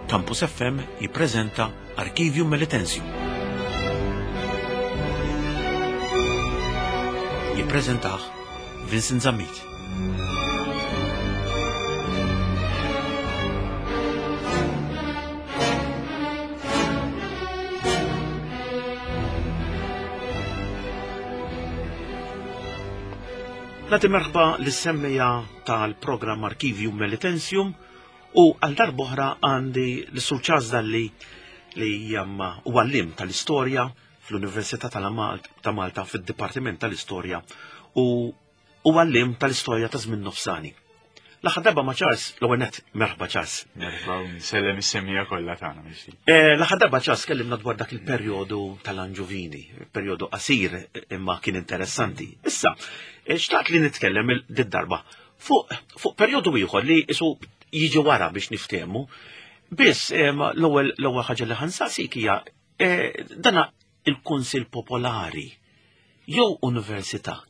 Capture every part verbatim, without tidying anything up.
Campus F M jippreżenta Archivium Melitensium. Jippreżentah Vincent Zammit. Nagħti merħba lis-semmija tal-programm Archivium Melitensium u għal darb'oħra għandi l-Sur Charles Dalli li jamma u għallim tal-istorja fl-Università ta' Malta fid-Dipartiment tal-Istorja u u għallim tal-istorja ta' żmien nofsani. L-aħħar darba ma' Charles, l-ewwel nett merħba Charles. Merħba u nsellem is-semmija kollha tagħna mixi. L-aħħar darba Charles kellimna dwar dak il-perjodu tal-Anġuvini, perjodu qasir imma kien interessanti. Issa, xtaqt li nitkellem did-darba fuq, fuq perjodu ieħor li isu jiġi wara biex niftehmu. Biss l-ewwel l-ewwel ħaġa li ħansaqsik hija dana il-Kunsill Popolari jew Università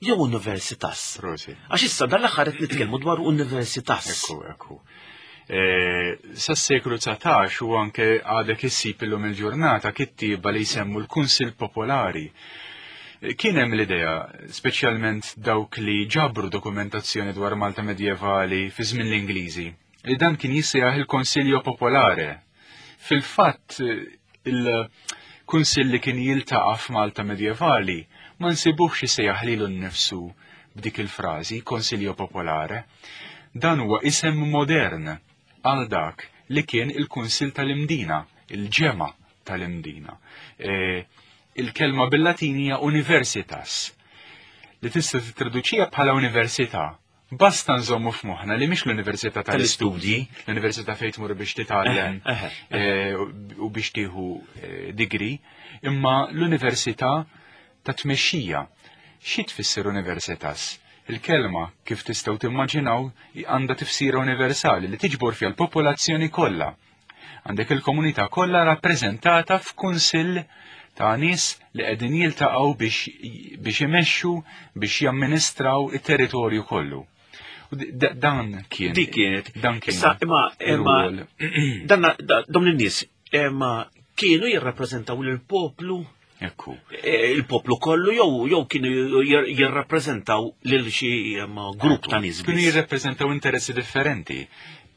jew Universitas. Prosi. Għax issa dan l-aħħar qed nitkellmu dwar Universitas. Ekku, ekku. Sas-seklu dsatax u anke għadek issib illum il-ġurnata kittieba li jsemmu l-Kunsill Popolari. Kien hemm l-idea, speċjalment dawk li ġabru dokumentazzjoni dwar Malta medjevali fi żmien l-Ingliżi, li dan kien jissejjaħ il-Konsiljo Popolare. Fil-fatt, il-kunsill li kien jiltaqa' f'Malta medjevali ma nsibuhx jissejjaħ lilu nnifsu b'dik il-frażi Konsiljo Popolare. Dan huwa isem modern għal dak li kien il-Kunsill tal-Imdina, il-ġemgħa tal-Imdina. E, il-kelma bil-Latin hija universitas, li tista' tittraduċija bħala università. Basta nżommu f'moħħna li mhix l-università tal-istudji, l-università fejn tmur biex titgħallem, Eħe, eħe. e, u biex tieħu, e, degree, imma l-università ta' tmexxija. Xi tfisser universitas? Il-kelma, kif tistgħu timmaġinaw, għandha tifsira universali li tiġbor fiha l-popolazzjoni kollha. Għandek il-komunità kollha rappreżentata f'kunsill ta' nies li qegħdin jiltaqgħu biex, biex imexxu, biex jamministraw it-territorju kollu. U d-, d-, dan kien. Dik kienet. Dan kien Issa, imma, imma, ir-rwol. dan, da, dawn in-nies, imma kienu jirrappreżentaw lill-poplu? Ekku. E, il-poplu kollu jew, jew kienu jir-, jirrappreżentaw lil xi, imma, grupp ta' nies Kienu biss? jirrappreżentaw interessi differenti,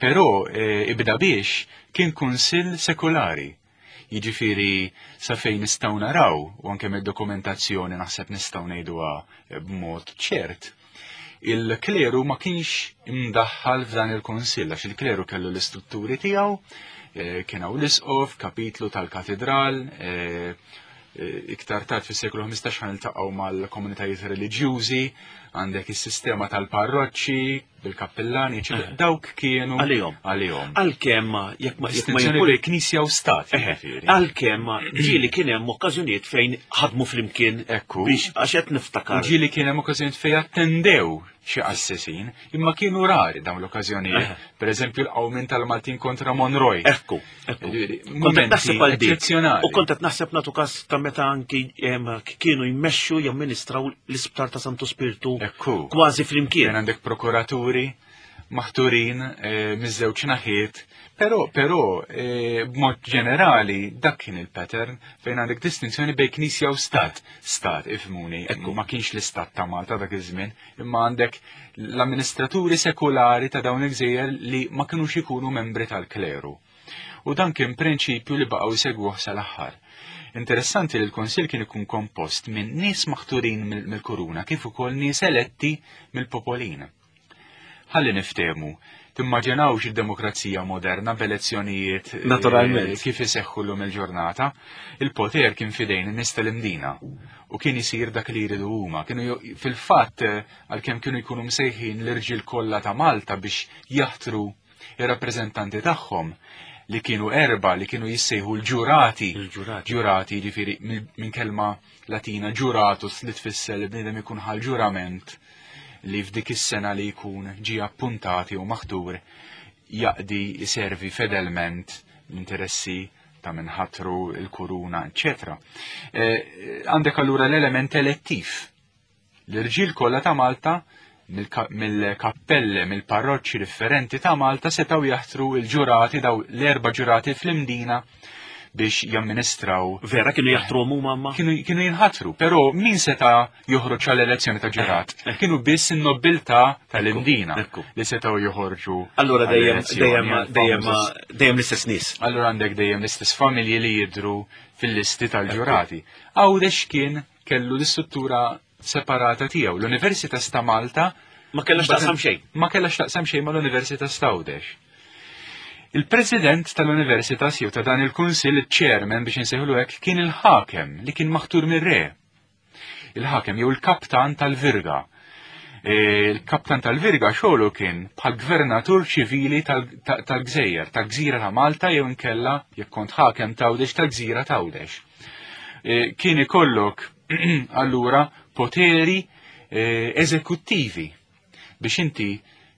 però, e, ibda biex kien kunsill sekulari. Jiġifieri sa fejn nistgħu naraw, u anke mid-dokumentazzjoni naħseb nistgħu ngħiduha b'mod ċert, il-kleru ma kienx imdaħħal f'dan il-kunsill, għax il-kleru kellu l-istrutturi tiegħu, eh, kien hawn l-isqof, kapitlu tal-katedral, eh, eh, iktar tard fis-seklu ħmistax ħa niltaqgħu mal-komunitajiet reliġjużi, għandek is-sistema tal-parroċċi, bil-kappellani, eċetera. Eh. Dawk kienu Għalihom. għalihom. Għalkemm jekk ma-, jekk ma Distinzjoni jkun bejn knisja u stat, Eħe. jiġifieri. Għalkemm ġieli kien hemm okkażjonijiet fejn ħadmu flimkien Ekku. biex għax qed niftakar. U ġieli kien hemm okkażjonijiet fejn attendew xi qassisin, imma kienu rari dawn l-okkażjonijiet. Eħe. Per eżempju l-qawmien tal-Maltin kontra Monroy. Ekku, ekku. Jiġifieri, Kont qed mumenti naħseb għal dik. eċċezzjonali. U kont qed naħseb nagħtu każ ta' meta anki, em, kienu jmexxu jamministraw l-isptar ta' Santu Spirtu Ekku. kważi flimkien. Kien għandek prokuraturi maħturin, eh, miż-żewġ naħiet, però, però, eh, b'mod ġenerali dak kien il-pattern fejn għandek distinzjoni bejn knisja u stat. Stat, ifhmuni, Ekku. ma kienx l-istat ta' Malta dak iż-żmien, imma għandek l-amministraturi sekulari ta' dawn il-gżejjer li ma kinux ikunu membri tal-kleru. U dan kien prinċipju li baqgħu jsegwuh sal-aħħar. Interessanti li l-Konsil kien ikun kompost minn nies maħturin mill-, mill-kuruna kif ukoll nies eletti mill-popolin. Ħalli niftehmu, timmaġinawx id-demokrazija moderna b'elezzjonijiet, eh, Naturalment. kif iseħħu llum il-ġurnata, il-poter kien fidejn in-nies tal-Imdina u kien isir dak li jridu huma. Kienu jo-, fil-fatt, eh, għalkemm kienu jkunu msejħin l-irġiel kollha ta' Malta biex jaħtru ir-rappreżentanti tagħhom, li kienu erba, li kienu jissejħu l-ġurati. Il-ġurati. Ġurati, jiġifieri minn, minn kelma latina ġuratus li tfisser li bniedem ikun ħal ġurament li f'dik is-sena li jkun ġie appuntati u maħtur jaqdi jservi fedelment l-interessi ta' minħatru, il-kuruna, eċċetera. Eh, għandek allura l-element elettiv. L-irġiel kollha ta' Malta mill-kappelle, mill-parroċċi differenti ta' Malta setgħu jaħtru l-ġurati, daw l-erba' ġurati fl-Imdina biex jamministraw. Vera kienu jaħtru huma ma? Kienu, kienu jinħatru, però min seta' joħroġ għall-elezzjoni ta' ġurat? Kienu biss in-nobiltà tal-Imdina li setgħu joħorġu. Allura dejjem dejjem dejjem dejjem l-istess nies. Allura għandek dejjem l-istess familji li jidhru fil-listi tal-ġurati. Għawdex kien kellu l-istruttura separata tiegħu. L-Universitas ta' Malta ma kellha x'taqsam xejn. Ma kellha x'taqsam xejn mal-Universitas ta' Għawdex. Il-President tal-Universitas jew ta' dan il-Kunsill, il-Chairman biex insejħulu hekk, kien il-ħakem li kien maħtur mir-re. Il-ħakem jew il-kaptan tal-Virga. Il-kaptan tal-Virga xogħlu kien bħal gvernatur ċivili tal-Gżejjer, tal-Gżira ta' Malta jew inkella jekk kont ħakem t'Għawdex tal-Gżira t'Għawdex. Kien ikollok allura poteri eżekuttivi biex inti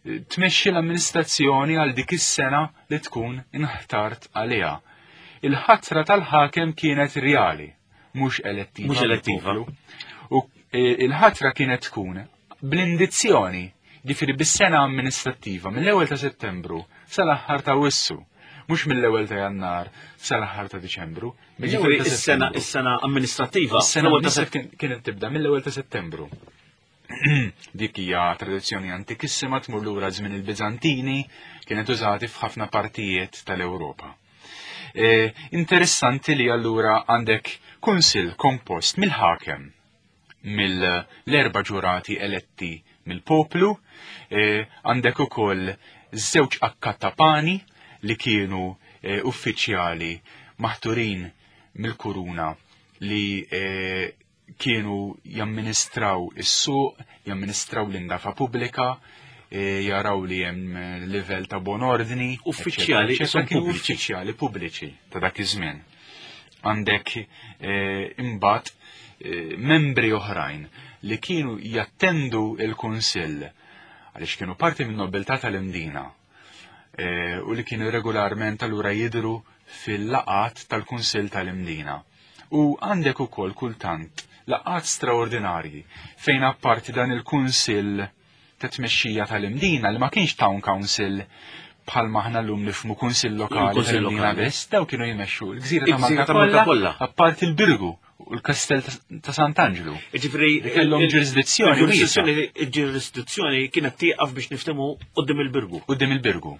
tmexxi l-amministrazzjoni għal dik is-sena li tkun inħtart għaliha. Il-ħatra tal-ħakem kienet reali, mhux elettiva. Mhux elettiva. U il-ħatra kienet tkun bl-indizzjoni, ġifieri bis-sena amministrattiva mill-ewwel ta' Settembru sal-aħħar ta' Wissu, mhux mill-ewwel ta' Jannar sal-aħħar ta' Diċembru. Ġifieri is-sena is-sena amministrattiva. Is-sena kienet tibda mill-ewwel ta' Settembru. Dik hija tradizzjoni antikissima tmur lura żmien il-Biżantini, kienet użati f'ħafna partijiet tal-Ewropa. E, interessanti li allura għandek kunsill kompost mill-ħakem, mill-erba' ġurati eletti mill-poplu, e, għandek ukoll żewġ akkattapani li kienu e, uffiċjali maħturin mill-kuruna li e, kienu jamministraw is-suq, jamministraw l-indafa pubblika, e, jaraw li hemm livell ta' bon ordni, uffiċjali, kienu uffiċjali pubbliċi ta' dak iż-żmien. Għandek e, imbagħad e, membri oħrajn li kienu jattendu il-kunsill għaliex kienu parti minn nobiltà tal-Imdina e, u li kienu regolarment allura jidhru fil-laqat tal-Kunsill tal-Imdina. U għandek ukoll kultant laqat straordinarji fejn apparti dan il-kunsill ta' tmexxija tal-Imdina li ma kienx town council bħal maħna llum nifhmu kunsill lokali tal-Imdina biss, daw kienu jmexxu l-gżira ta' Malta kollha, apparti l-Birgu u l-Kastell ta' Sant'Anġlu. Ġifieri kellhom ġurisdizzjoni. Il-ġurisdizzjoni kienet tieqaf biex niftehmu quddiem il-Birgu. Quddiem il-Birgu.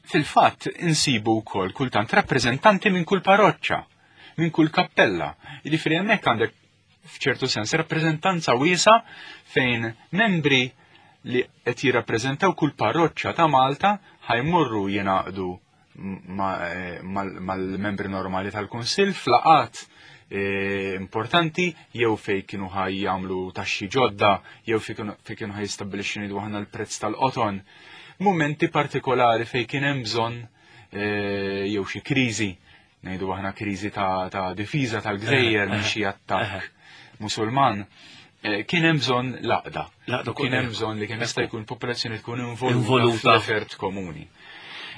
Fil-fatt insibu wkoll kultant rappreżentanti minn kull parroċċa, minn kull kappella. Jiġifieri hemmhekk għandek f'ċertu sens rappreżentanza wiesa fejn membri li qed jirrappreżentaw kull parroċċa ta' Malta ħajmorru jingħaqdu mal-membri normali tal-Kunsill f'laqat importanti jew fejn kienu ħaj jagħmlu taxxi ġodda jew fejn kienu ħaj jistabbilixxu ngħidu aħna l-prezz tal-qoton. Momenti partikolari fejn kien hemm bżonn jew xi kriżi, ngħidu aħna kriżi ta', ta difiża tal-Gżejjer minn xi attakk Musulman, kien hemm bżonn laqda. Kien hemm bżonn li kemm jista' jkun popolazzjoni tkun involuta fl-effert komuni.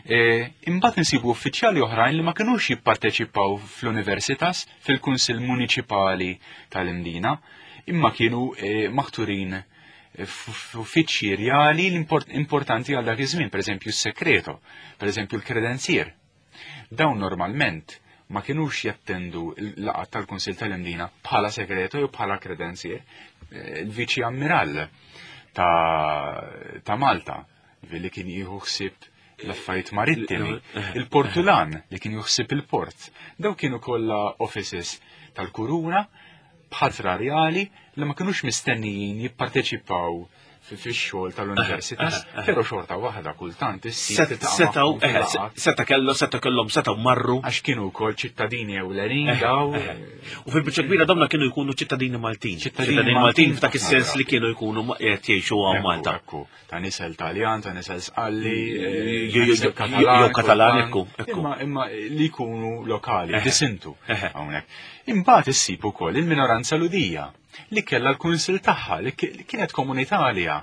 Imbagħad insibu uffiċjali oħrajn li ma kinux jipparteċipaw fl-Universitas, fil-Kunsill Municipali tal-Imdina, imma kienu maħturin f'uffiċċji reali importanti għal dak iż-żmien, pereżempju s-sekreto, pereżempju l-kredenzier. Dawn normalment ma kinux jattendu l-laqgħat tal-Kunsill tal-Imdina bħala segreto jew bħala kredenzier. Il-Viċi Ammiral ta', ta Malta, li kien jieħu ħsieb l-affarijiet marittimi, il-Portulan li kien juħsib il-port. Daw kienu kollha offices tal-kuruna b'ħatra reali li ma kinux mistennijin jipparteċipaw fix-xogħol tal-universitas, però xorta waħda kultant issib setgħu seta' kellu seta' kellhom setgħu marru għax kienu wkoll ċittadini ewlenin daw. U fil-biċċa kbira dawna kienu jkunu ċittadini Maltin. Ċittadini Maltin f'dak is-sens li kienu jkunu qed jgħixu hawn Malta. Ta' nisel Taljan, ta' nisel Sqalli, jew Katalan, ekku. Imma li jkunu lokali, disintu hawnhekk. Imbagħad issib ukoll il-minoranza Ludija li kellha l-kunsill tagħha li kienet komunità għaliha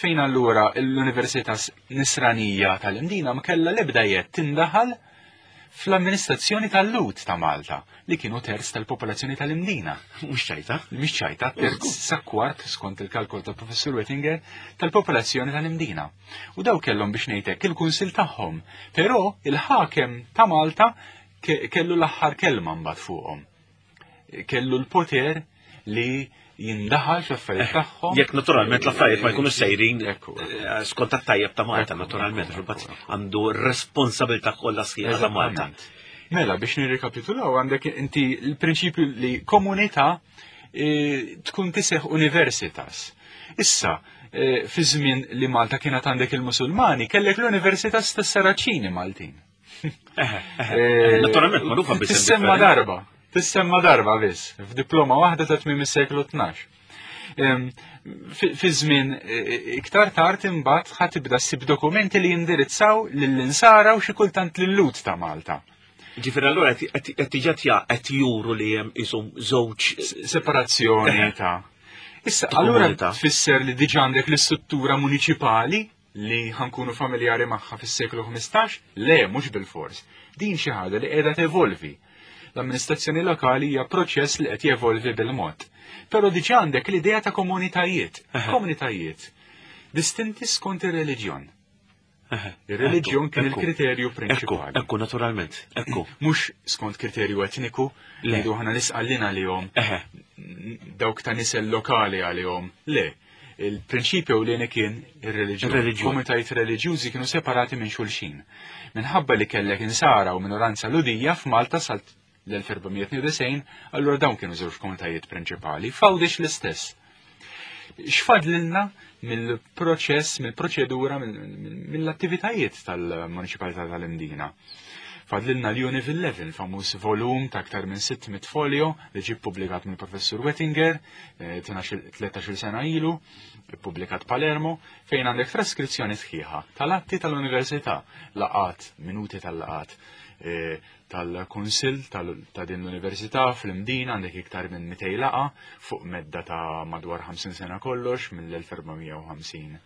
fejn allura l-Università Nisranija tal-Imdina ma kellha l-ebda jett tindaħal fl-amministrazzjoni tal-Lhud ta' Malta, li kienu terz tal-popolazzjoni tal-Imdina. Mhux ċajta. Mhix ċajta, terz sa kwart, skont il-kalkol ta' Professur Wettinger, tal-popolazzjoni tal-Imdina. U daw kellhom biex ngħidlek il-kunsil tagħhom, però il-ħakem ta' Malta kellu l-aħħar kelma mbagħad fuqhom. Kellu l-poter li jindaħal fl-affarijiet tagħhom. Jekk naturalment l-affarijiet ma jkunux sejrin skont tat-tajjeb ta' Malta, naturalment, għandu responsabilità kollha sħiħa ta' Malta. Mela, biex nirrikapitulaw, għandek inti l-prinċipju li komunità tkun tiseħ universitas. Issa, fi żmien li Malta kienet għandek il-Musulmani, kellek l-Universitas tas-Saraċini Maltin. Naturalment, magħrufa biss. Tissemma darba. Tissemma darba biss, f'diploma waħda ta' tmiem is-seklu tnax. Fi żmien iktar tard imbagħad ħa tibda ssib dokumenti li jindirizzaw lill-insara u xi kultant lil-Lhud ta' Malta. Ġifieri allura qed diġà qed juru li hemm ishom żewġ separazzjoni ta'. Issa allura tfisser li diġà għandek l-istruttura muniċipali li ħankunu familjari magħha fis-seklu ħmistax? Le, mhux bil-fors. Din xi ħaġa li qiegħda tevolvi. L-amministrazzjoni lokali hija proċess li qed jevolvi bil-mod. Però diġà għandek l-idea ta' komunitajiet, komunitajiet distinti skont ir-reliġjon. Ir-reliġjon kien il-kriterju prinċipali. Ekku, naturalment, ekku. Mhux skont kriterju etniku, li ngħidu aħna l-Isqallin għalihom, dawk ta' nisel lokali għalihom. Le, il-prinċipju ewlieni kien ir-reliġjon. Komunitajiet reliġjużi kienu separati minn xulxin. Minħabba li kellek insara u minoranza Lhudija f'Malta sal l-elf erba' mija tnejn u disgħin, allura dawn kienu żewġ komunitajiet prinċipali, f'Għawdex l-istess. X'fadlilna mill-proċess, mill-proċedura, mill-attivitajiet tal-Municipalità tal-Imdina? Fadlilna l-Univ Eleven, famuż volum ta' aktar minn sitt mitt folio li ġie ppubblikat mill-Professur Wettinger, tlettax-il sena ilu, ppubblikat Palermo, fejn għandek traskrizzjoni sħiħa tal-atti tal-Università, laqat, minuti tal-laqat, tal-Kunsill ta' din l-Università fl-Imdina, għandek iktar minn mitej laqa fuq medda ta' madwar ħamsin sena kollox, mill-elf erba' mija u ħamsin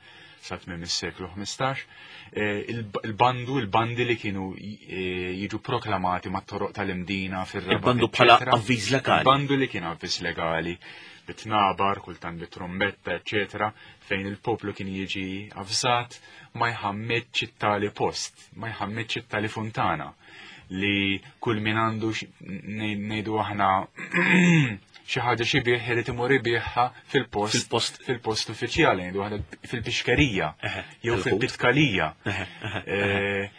sa tmiem is-seklu ħmistax. Il-bandu, il-bandi li kienu jiġu proklamati mat-toroq tal-Imdina fir-Rabat, Il-bandu bħala eccetera. avviż legali. Il-bandu li kien avviż legali, bitnabar, kultant bit-trombetta, eccetera, fejn il-poplu kien jiġi avżat ma jħammitx it-tali post, ma jħammitx it-tali funtana, li kull min għandu ngħidu aħna xi ħaġa xi bih irid imur ibigħha fil-post, Fil-post. fil-post uffiċjali, ngħidu aħna fil-pixkerija Eħe, jew tal-ħut. fil-pitkalija. Eħe, eħe, eħe.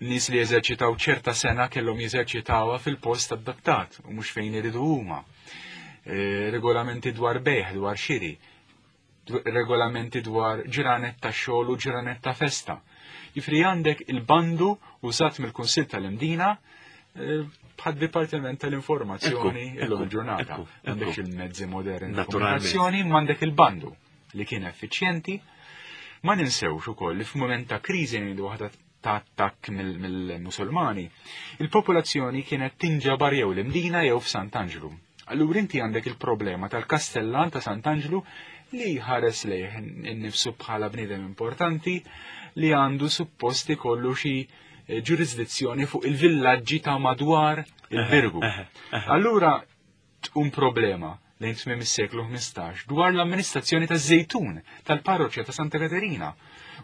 Nies li jeżerċitaw ċerta sena kellhom jeżerċitawha fil-post adattat u mhux fejn iridu huma. Eh, regolamenti dwar bejħ, dwar xiri, regolamenti dwar ġranet ta' xogħol u ġranet ta' festa. Jifri għandek il-bandu użat mill-Kunsill tal-Imdina, eh, bħad Dipartiment tal-Informazzjoni Ekku, illum ekku, il-ġurnata. ekku, Għandek ekku. il-mezzi moderni ta' Naturalment. komunikazzjoni, ma għandek il-bandu li kien effiċjenti. Ma ninsewx ukoll li f'mument ta' kriżi ngħidu waħda ta' attakk mill-, mill-Musulmani, il-popolazzjoni kienet tinġabar jew l-Imdina jew f'Sant'Anġlu. Allura inti għandek il-problema tal-Kastellan ta' Sant'Anġlu li ħares lejh innifsu bħala bniedem importanti li għandu suppost ikollu xi ġurisdizzjoni fuq il-villaġġi ta' madwar il-Birgu. Eħe, eħe. Allura tqum problema lejn tmiem is-seklu ħmistax dwar l-amministrazzjoni taż-Żejtun tal-parroċċja ta' Santa Katerina.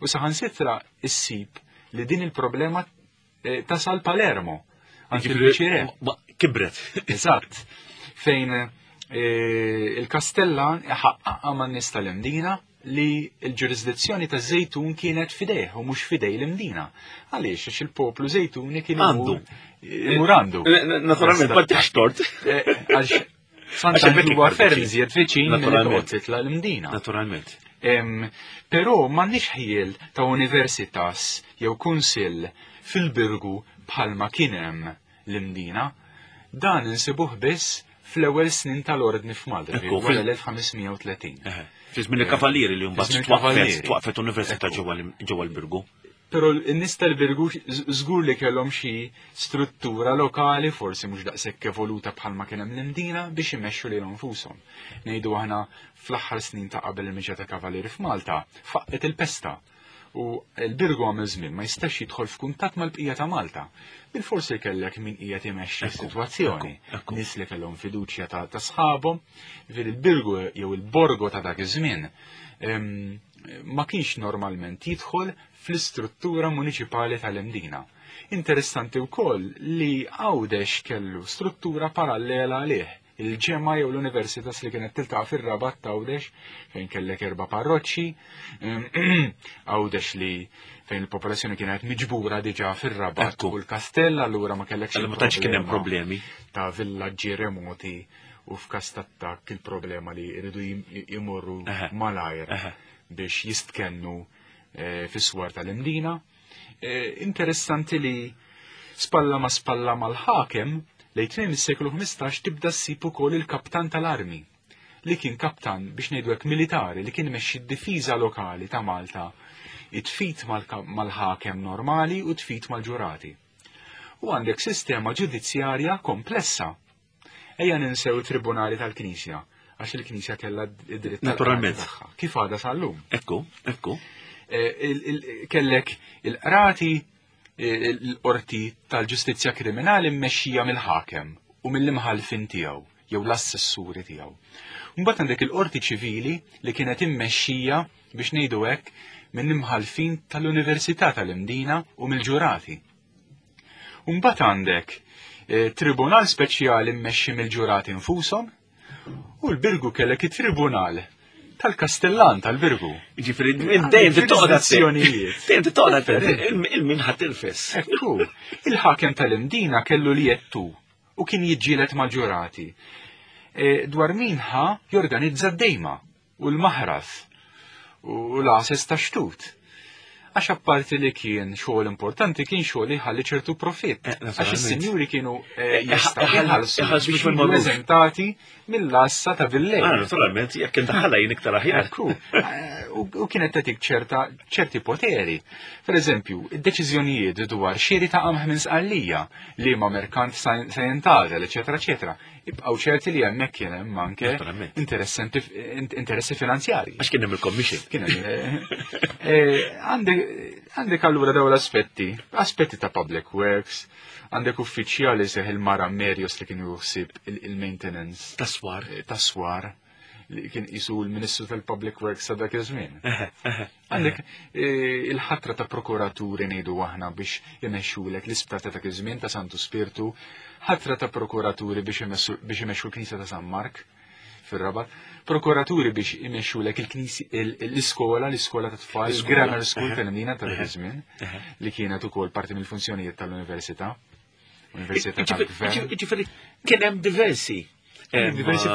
U saħansitra issib li din il-problema, eh, tasal Palermo, anki Jiġifieri, il-Viċirè. ma kibret. Eżatt. Fejn, eh, il-Kastellan ħaqqaqha man-nies tal-Imdina li l-ġurisdizzjoni ta' Żejtun kienet fidejh u mhux fidej l-Imdina. Għaliex? Għax il-poplu Żejtuni kien Għandu. imur għandu. Eh, eh, naturalment, ma tiħx tort. Eh, għax Għax Sant'Anġlu hemmhekk huwa iktar ferm viċin. iżjed viċin milli Naturalment. toqgħod titla' l-Imdina. Naturalment. Em, Però m'għandniex ħjiel ta' universitas jew kunsill fil-Birgu bħalma kien hemm l-Imdina. Dan insibuh biss fl-ewwel snin tal-ordni f'Malta, Ekku, wara fil- l-elf ħames mija u tletin. Eħe. Fi żmien il-Kavalieri li mbagħad Fi żmien twaqfet, il-Kavalieri. twaqfet università Ekku. ġewwa l-, ġewwa l-Birgu. Però n-nies tal-Birgu żgur li kellhom xi struttura lokali, forsi mhux daqshekk evoluta bħalma kien hemm l-Imdina, biex imexxu lilhom infushom. Ngħidu aħna fl-aħħar snin ta' qabel il-miġja ta' Kavalieri f'Malta, faqqet il-pesta. U l-Birgu għamel żmien ma jistax jidħol f'kuntatt mal-bqija ta' Malta. Bil-forsi kellek min qiegħed imexxi s-sitwazzjoni. Nies li kellhom fiduċja ta' sħabhom, ġifieri il-Birgu jew il-Borgo ta' dak iż-żmien ma kienx normalment jidħol fl-istruttura municipali tal-Imdina. Interessanti wkoll li Għawdex kellu struttura parallela għalih, il-ġemma jew l-universitas li kienet tiltaqa' fir-Rabat t'Għawdex fejn kellek erba' parroċċi, Għawdex li fejn il-popolazzjoni kienet miġbura diġà fir-Rabat u l-Kastell, allura ma kellekx ma tantx kien hemm problemi ta' villaġġi remoti u f'każ t'attakk il-problema li jridu jmorru malajr biex jistkennu fis-swar tal-Imdina. Interessanti li spalla ma spalla mal-ħakem lejn tmiem is-seklu ħmistax tibda ssib ukoll il-kaptan tal-armi li kien kaptan biex ngħidu hekk militari li kien imexxi d-difiża lokali ta' Malta, it-tfit mal-ħakem normali u tfit mal-ġurati. U għandek sistema ġudizzjarja komplessa. Ejja ninsew it-tribunali tal-Knisja, għax il-Knisja kellha id-dritt naturalment tagħha. Kif għadha sal-lum? Ekku, ekku. Kellek il-qrati, l-qorti tal-ġustizzja kriminali mmexxija mill-ħakem u mill-imħallfin tiegħu jew l-assessuri tiegħu. Mbagħad għandek il-qorti ċivili li kienet immexxija biex ngħidu hekk minn imħallfin tal-Università tal-Imdina u mill-ġurati. Mbagħad għandek tribunal speċjali mmexxi mill-ġurati infushom u l-Birgu kellek it-tribunal tal-Kastellan tal-Birgu. Ġifieri dejjem tittoqgħod azzjonijiet. Dejjem tittoqgħod il-min ħadd irfes. Ekku, il-ħakem tal-Imdina kellu li jettu u kien jiġġieled mal-ġurati. Dwar min ħa jorganizza d-dejma u l-maħras u l-għases ta' xtut. Għax apparti li kien xogħol importanti, kien xogħol li ħalli ċertu profitt. Għax is-sinjuri kienu jistgħu jħallsu biex jiġu eżentati mill-assa ta' villej. Naturalment, jekk intaħalla jien iktar aħjar. U kienet tagħtik ċerta ċerti poteri. Per eżempju, id-deċiżjonijiet dwar xiri ta' qamħ minn Sqallija li ma' merkant se jintgħażel, eċetera, eċetera. Ibqgħu ċerti li hemmhekk kien hemm anke interessi finanzjarji. Għax kien hemm il-commission. Kien hemm. Għandek allura dawn l-aspetti, aspetti ta' public works, għandek uffiċjali seħ il-Mara Merios li kien juħsib il-maintenance. Taswar. Taswar, li kien isu l-Ministru tal-Public Works sa dak iż-żmien. Għandek il-ħatra ta' prokuraturi ngħidu aħna biex imexxulek l-isptar ta' dak iż-żmien ta' Santu Spirtu, ħatra ta' prokuraturi biex imexxu l-Knisja ta' San Mark fir-Rabat, prokuraturi biex imexxulek l-iskola, l-iskola ta' tfal, il-grammar school tal-Imdina ta' dak iż-żmien, li kienet ukoll parti mill-funzjonijiet tal-università. Università tal-Gvern. Ġifieri kien hemm diversi diversi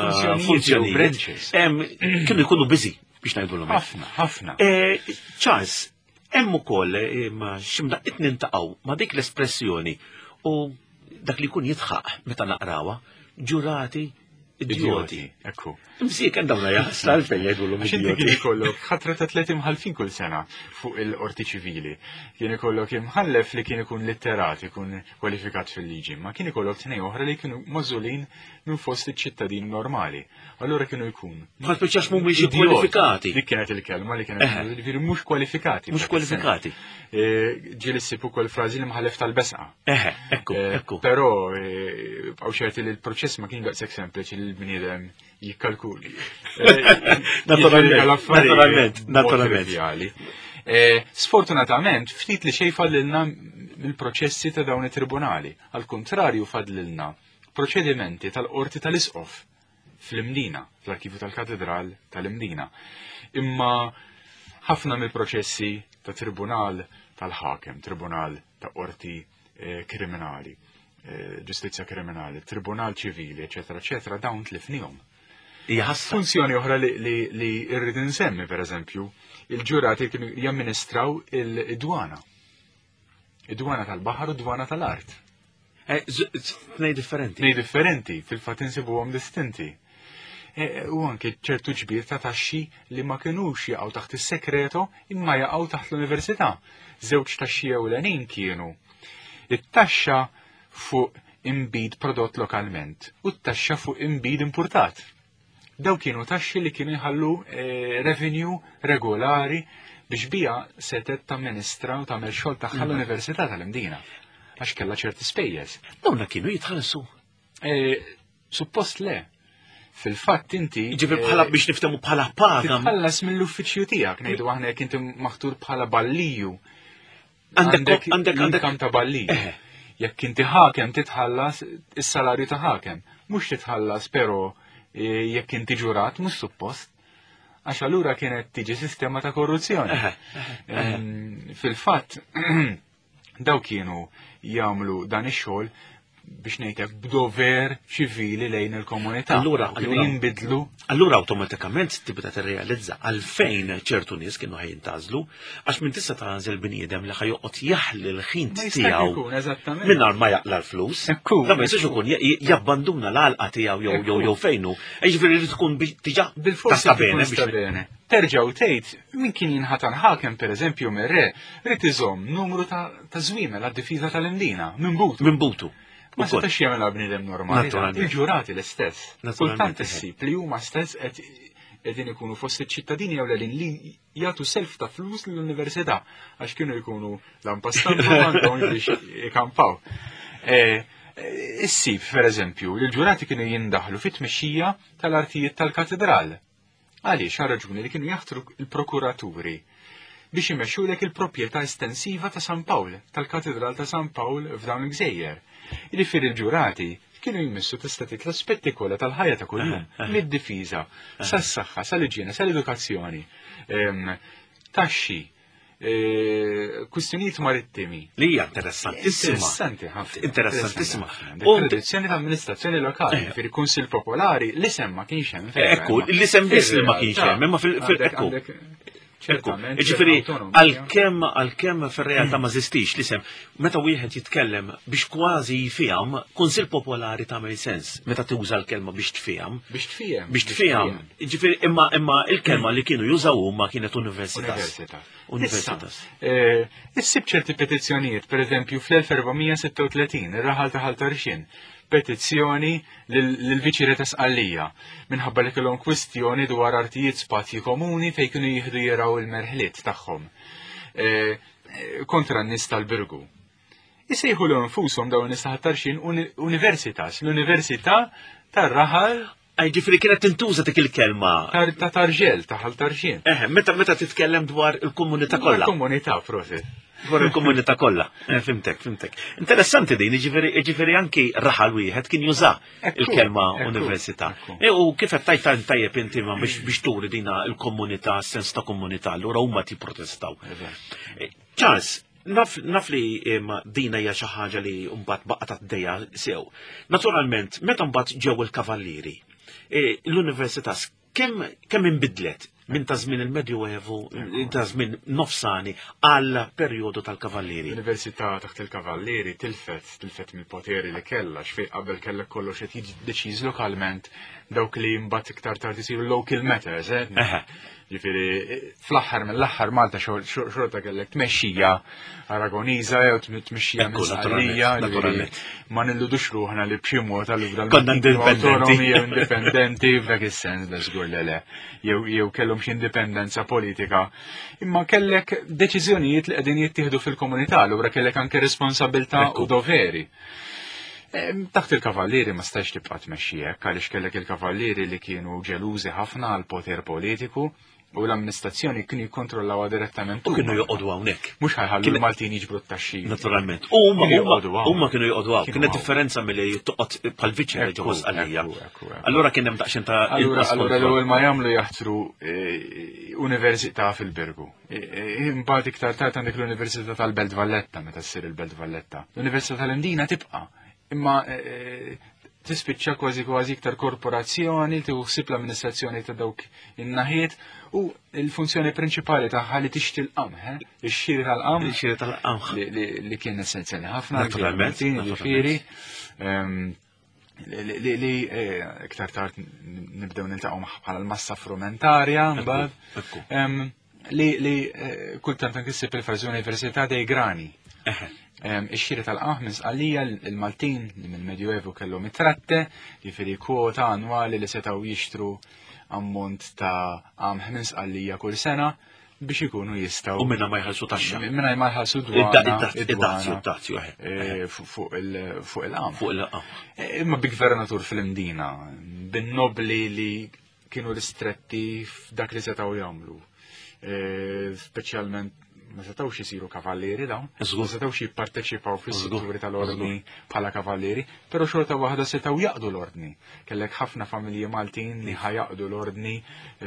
funzjonijiet, branches. Kienu jkunu busy biex ngħidulhom. Ħafna, ħafna. Charles, hemm ukoll ma x'imdaqqiet nintaqgħu ma' dik l-espressjoni u dak li jkun jitħaq meta naqrawha, ġurati idjoti. Ekku. Msieken dawna jaħsla għalfejn jgħidulhom Għax inti kien ikollok ħatra ta' tliet imħallfin kull sena fuq il-qorti ċivili. Kien ikollok imħallef li kien ikun litterat, ikun kwalifikat fil-liġi, ma kien ikollok tnejn oħra li kienu magħżulin minn fost iċ-ċittadin normali. Allura kienu jkun. Ma spiċċax mhumiex kwalifikati. Dik kienet il-kelma li kienet ġifieri mhux kwalifikati. Mhux kwalifikati. Ġieli ssib ukoll frażi li mħallef tal-besqa. Eħe, ekku, ekku. Però bqgħu ċerti li l-proċess ma kien daqshekk sempliċi li l-bniedem jikkalkuli. Naturalment, naturalment, naturalment. Sfortunatament, ftit li xejn fadlilna mill-proċessi ta' dawn it-tribunali. Al kontrarju fadlilna proċedimenti tal-qorti tal-Isqof fl-Imdina, fl-arkivju tal-Katedral tal-Imdina. Imma ħafna mill-proċessi ta' tribunal tal-ħakem, tribunal ta' qorti kriminali, ġustizzja kriminali, tribunal ċivili, eċetera, eċetera, dawn tlifnihom. Funzjoni oħra li rrid insemmi, per eżempju, il-ġurati kienu jamministraw il-dwana. Id-dwana tal-baħar u d-dwana tal-art. Tnej differenti. Tnej differenti, fil-fatt insibuhom distinti. U anke ċertu ġbir ta' taxxi li ma kinux jaqgħu taħt is-sekreto imma jaqgħu taħt l-università. Żewġ taxxi ewlenin kienu it-taxxa fuq imbid prodott lokalment u t-taxxa fuq imbid importat. Daw kienu taxxi li kienu jħallu revenue regolari Biex bija setet tamministra u tagħmel xogħol tagħha l-Università tal-Imdina. Għax kellha ċerti spejjeż. Dawna kienu jitħallsu. Suppost le. Fil-fatt inti. Ġifieri bħala biex niftehmu bħala paga. Titħallas mill-uffiċċju tiegħek, ngħidu aħna jekk inti maħtur bħala balliju. Għandek għandek għandek ta' balliju. Jekk inti ħakem titħallas is-salarju ta' ħakem. Mhux titħallas però jekk inti ġurat mhux suppost. Għax allura kienet tiġi sistema ta' korruzzjoni. Fil-fatt daw kienu jagħmlu dan ix-xogħol biex ngħidlek b'dover ċivili lejn il-komunità. Allura kienu jinbidlu. Allura awtomatikament tibda tirrealizza għalfejn ċertu nies kienu ħajjintażlu, għax minn tista' tagħżel bniedem li ħajoqgħod jaħli l-ħin tiegħu mingħajr ma jaqla l-flus. Da ma jistax ikun jabbanduna l-għalqa tiegħu jew jew jew fejnu. Jiġifieri li tkun diġà bil-forsi bene. Terġa' u tgħid min kien jinħatar ħakem pereżempju mir-re, rid iżomm numru ta' żwiemel għad-difiża tal-Imdina minn butu. Minn butu. Ma setax jagħmilha bniedem normali. Il-ġurati l-istess. Kultant issib li huma stess qed qegħdin ikunu fost iċ-ċittadini jew l li jagħtu self ta' flus lill-università għax kienu jkunu l-ampastampa għandhom biex ikampaw. Issib, pereżempju, li l-ġurati kienu jindaħlu fit-tmexxija tal-artijiet tal-katedral. Għaliex għal raġuni li kienu jaħtru l-prokuraturi biex imexxulek il-proprjetà estensiva ta' San Pawl, tal-Katedral ta' San Pawl f'dawn il-gżejjer. Jiġifieri l-ġurati kienu jmissu tista' tgħid l-aspetti kollha tal-ħajja ta' kuljum, mid-difiża, sas-saħħa, sal-iġjene, sal-edukazzjoni, taxxi, kwistjonijiet marittimi. Li hija interessantissima. Interessanti ħafna. Interessantissima. Tradizzjoni ta' amministrazzjoni lokali, jiġifieri Kunsill Popolari, l-isem ma kienx hemm. Ekku, l-isem biss li ma kienx hemm, imma fil-ekku. Ġifieri, għalkemm għalkemm fir-realtà ma żistix l-isem, meta wieħed jitkellem biex kważi jifhem, Kunsill Popolari tagħmel sens meta tuża l-kelma biex tfiham. Biex tfiham. Biex tfiham. Ġifieri imma imma il-kelma li kienu jużaw huma kienet universitas. Università. Universitas. Issib ċerti petizzjonijiet, pereżempju fl-elf erba' sitta u tletin, ir-raħal ta' Ħal Tarxien, petizzjoni lill-Viċi ta' Sqallija minħabba li kellhom kwistjoni dwar artijiet spazji komuni fejn kienu jieħdu jiraw il-merħliet tagħhom kontra n-nies tal-Birgu. Isejħu l infushom dawn in-nies ta' Ħal Tarxien universitas, l-Università tar-raħal. Ġifieri kienet tintuża dik il-kelma. Ta' Tarġel, ta' Ħal Tarxien. Eħe, meta meta titkellem dwar il-komunità kollha. Il-komunità, prosit. Dwar il-komunità kollha. Fimtek, fimtek. Interessanti din, jiġifieri anki raħal wieħed kien juża il-kelma università. U kif qed tajt tajjeb inti ma biex turi dina il-komunità, sens ta' komunità, allura huma tipprotestaw. Charles, naf naf li dina hija xi ħaġa li mbagħad baqgħet għaddejja sew. Naturalment, meta mbagħad ġew il-kavallieri, l-università kemm kemm inbidlet minn ta' żmien il-Medjuevu, ta' żmien nofsani għal perjodu tal-Kavallieri? L-Università taħt il-Kavallieri tilfet, tilfet mill-poteri li kellha, x'fejn qabel kellek kollox qed jiġi deċiż lokalment dawk li mbagħad iktar tard isiru local matters, eh? Ġifieri fl-aħħar mill-aħħar Malta xorta kellek tmexxija Aragoniża jew tmexxija Sqallija, ma nilludux ruħna li b'xi mod allura konna indipendenti indipendenti f'dak is-sens da żgur le le. Jew kellhom xi indipendenza politika. Imma kellek deċiżjonijiet li qegħdin jittieħdu fil-komunità, allura kellek anke responsabilità u doveri. Taħt il-kavallieri ma stax tibqa' tmexxi hekk għaliex kellek il-kavallieri li kienu ġelużi ħafna għal poter politiku u l-amministrazzjoni kienu jikkontrollawha direttament. U kienu joqogħdu hawnhekk. Mhux ħajħallu l-Maltin jiġbru t-taxxi. Naturalment. U huma kienu joqogħdu hawn. Kienet differenza milli toqgħod bħal viċi ġewwa Sqallija. Allura kien hemm daqsxejn ta' Allura l-ewwel ma jagħmlu jaħtru università fil-Birgu. Imbagħad iktar tard għandek l-Università tal-Belt Valletta meta ssir il-Belt Valletta. L-Università tal-Imdina tibqa' imma tispiċċa kważi kważi iktar korporazzjoni li tieħu l-amministrazzjoni ta' dawk in-naħiet u l-funzjoni prinċipali tagħha li tixtri l-qamħ, ix-xiri tal-qamħ. Ix-xiri tal-qamħ. Li kien essenzjali ħafna. Naturalment. Ġifieri li iktar tard nibdew niltaqgħu magħha bħala l-massa frumentarja mbagħad. Li kultant anke ssib il-frażi Università dei Grani. Ix-xiri tal-qamħ minn Sqallija, il-Maltin li mill-Medjuevu kellhom it-tratte, jiġifieri kwota annwali li setgħu jixtru ammont ta' qamħ minn Sqallija kull sena, biex ikunu jistgħu. U minna ma jħallsu taxxa. Minna ma jħallsu dwana. Id-dazju, id-dazju, eh, fuq il-qam. Fuq il-qam. Imma bi gvernatur fil-Imdina, bin-nobli li kienu ristretti f'dak li setgħu jagħmlu. Speċjalment ma setgħux isiru kavallieri dawn, ma setgħux jipparteċipaw fis-setturi tal-ordni bħala kavallieri, però xorta waħda setgħu jaqdu l-ordni. Kellek ħafna familji Maltin li ħajaqdu l-ordni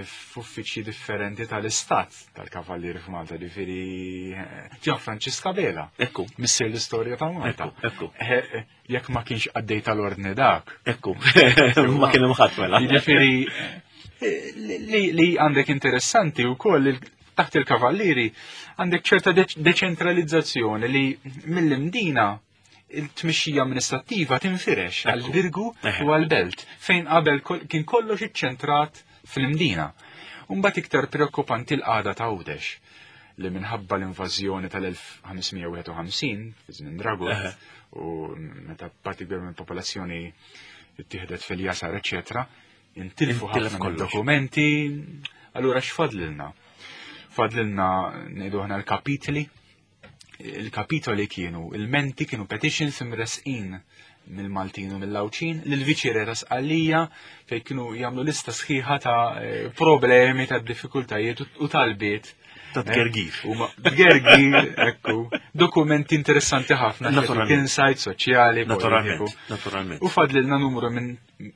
f'uffiċċji differenti tal-istat tal-kavallieri f'Malta, ġifieri Ġan Franċisk Abela. Ekku. Missier l-istorja ta' Malta. Ekku. Jekk ma kienx għaddej tal-ordni dak. Ekku. Ma kien hemm ħadd mela. Jiġifieri li għandek interessanti wkoll taħt il-kavallieri għandek ċerta deċentralizzazzjoni li mill-Imdina il-tmixxija amministrattiva tinfirex għal-Birgu u għal-Belt, fejn qabel kien kollox iċċentrat fl-Imdina. Mbagħad iktar preokkupanti l-qagħda ta' Għawdex li minħabba l-invażjoni tal-elf ħames mija wieħed u ħamsin fi żmien Dragut u meta parti kbira mill-popolazzjoni ittieħdet fil-jasar, eċċetera, intilfu Intilef ħafna kollox. dokumenti. Allura x'fadlilna? Fadlilna ngħidu aħna l-kapitli. Il-kapitoli kienu, il-menti kienu petitions imresqin mill-Maltin u mill-Għawdxin lill-Viċi-Re ta' Sqallija fejn kienu jagħmlu lista sħiħa ta' problemi, ta' diffikultajiet u talbiet. Ta' tgergir. U ma' tgergir, ekku. Dokumenti interessanti ħafna, Naturalment. insight soċjali, Naturalment, politiku. naturalment. U fadlilna numru minn,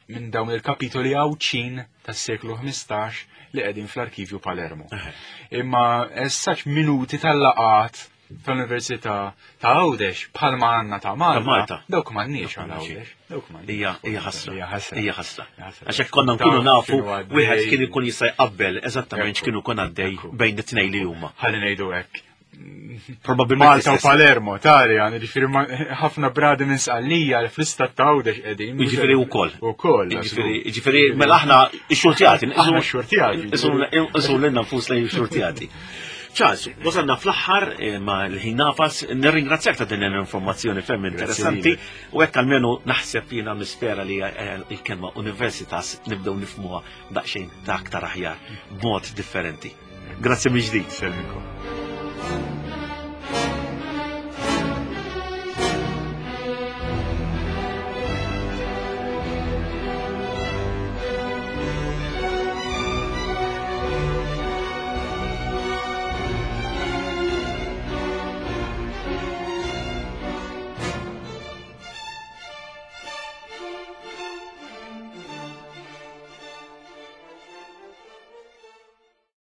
minn dawn il-kapitoli Għawdxin tas-seklu ħmistax li qegħdin fl-arkivju Palermo. Eħe. Imma essaċ minuti tal-laqat tal-Università ta' Għawdex bħalma għandna ta' Malta. Ta' Malta. Dawk m'għandniex għal Dawk m'għandniex. Għawdex. Dawk m'għandniex. Hija, hija ħasra. Hija ħasra. Hija ħasra. Hija ħasra. Għax hekk konna nkunu Taf nafu, x'inhu għaddej. wieħed kien ikun jista' jqabbel eżattament Ekku. x'kienu kun għaddej Ekku. bejn it-tnejn li huma. Ħalli ngħidu hekk. Probabilment Malta u l-istess. Palermo, tali, għan, ġifieri ma-, ħafna bradi minn Sqallija fl-istat ta' Għawdex qegħdin. Jiġifieri wkoll. Ukoll, Jiġifieri, żgur. jiġifieri, mela aħna xxurtjati. Aħna xxurtjati. Isu lilna nfusna xxurtjati. Charles, wasalna fl-aħħar, eh, ma l-ħin nafas, nirringrazzjak ta' din l-informazzjoni ferm Grazzi interessanti, lilek. u hekk almenu naħseb jiena nispera li, eh, il-kelma universitas nibdew nifhmuha daqsxejn ta' aktar aħjar, b'mod differenti. Grazzi mill-ġdid. Selmikom.